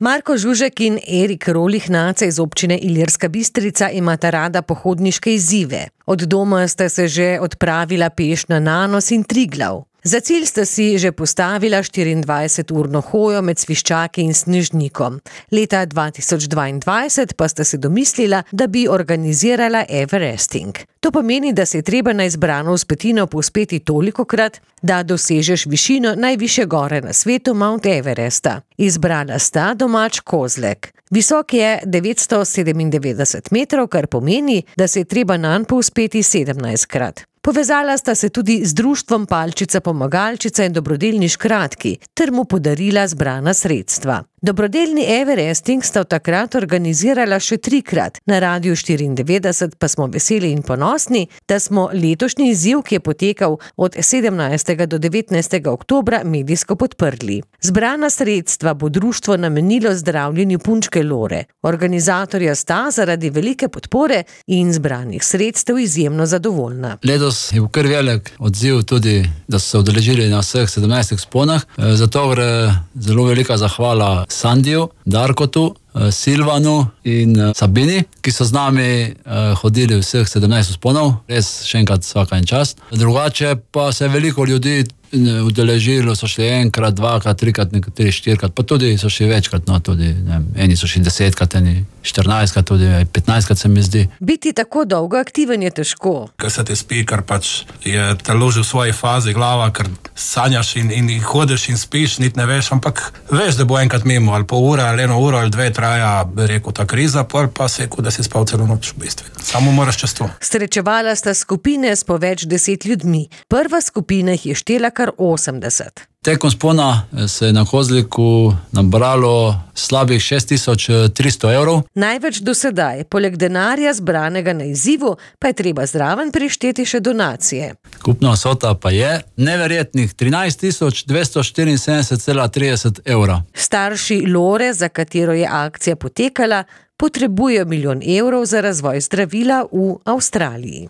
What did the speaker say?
Marko Žužek in Erik Rolih-Nace iz občine Ilirska Bistrica imata rada pohodniške izzive. Od doma sta se že odpravila peš na Nanos in Triglav. Za cilj sta si že postavila 24-urno hojo med Sviščaki in Snežnikom. Leta 2022 pa sta se domislila, da bi organizirala Everesting. To pomeni, da se je treba na izbrano vzpetino povzpeti tolikokrat, da dosežeš višino najvišje gore na svetu, Mount Everesta. Izbrala sta domač kozlek. Visok je 997 metrov, kar pomeni, da se je treba nanj povzpeti 17krat. Povezala sta se tudi z društvom Palčica Pomagalčica in dobrodelni Škratki ter mu podarila zbrana sredstva. Dobrodelni Everesting sta takrat organizirala še 3krat. Na Radiu 94 pa smo veseli in ponosni, da smo letošnji izziv, ki je potekal od 17. do 19. oktobra, medijsko podprli. Zbrana sredstva bo društvo namenilo zdravljenju punčke Lore. Organizatorja sta zaradi velike podpore in zbranih sredstev izjemno zadovoljna. Letos je bil kar velik odziv tudi, da so se udeležili na vseh 17 vzponah. Zato gre zelo velika zahvala Sandiju, Darkotu, Silvanu in Sabini, ki so z nami hodili vseh 17 vzponov. Res še enkrat vsaka en čast. Drugače pa se je veliko ljudi udeležilo, so šli enkrat, dvakrat, trikrat, nekateri 4krat, pa tudi so šli večkrat, no tudi, eni so šli 10krat, eni 14krat, tudi 15krat se mi zdi. Biti tako dolgo aktiven je težko. Ker se ti spi, ker pač je telo že v svoji fazi, glava, ker sanjaš in hodiš in spiš, niti ne veš, ampak veš, da bo enkrat mimo, ali pol ure, ali 1 uro, ali 2 traja, bi rekel, ta kriza, pa se je, da si spal celo noč v bistvu. Samo moraš čez to. Srečevala sta skupine s po več 10 ljudmi. Prva skupina jih je štela kar 80. Tekom vzpona se je na kozliku nabralo slabih 6300 evrov. Največ do sedaj, poleg denarja zbranega na izzivu, pa je treba zraven prišteti še donacije. Skupna vsota pa je neverjetnih 13 274,30 evra. Starši Lore, za katero je akcija potekala, potrebujejo 1 milijon evrov za razvoj zdravila v Avstraliji.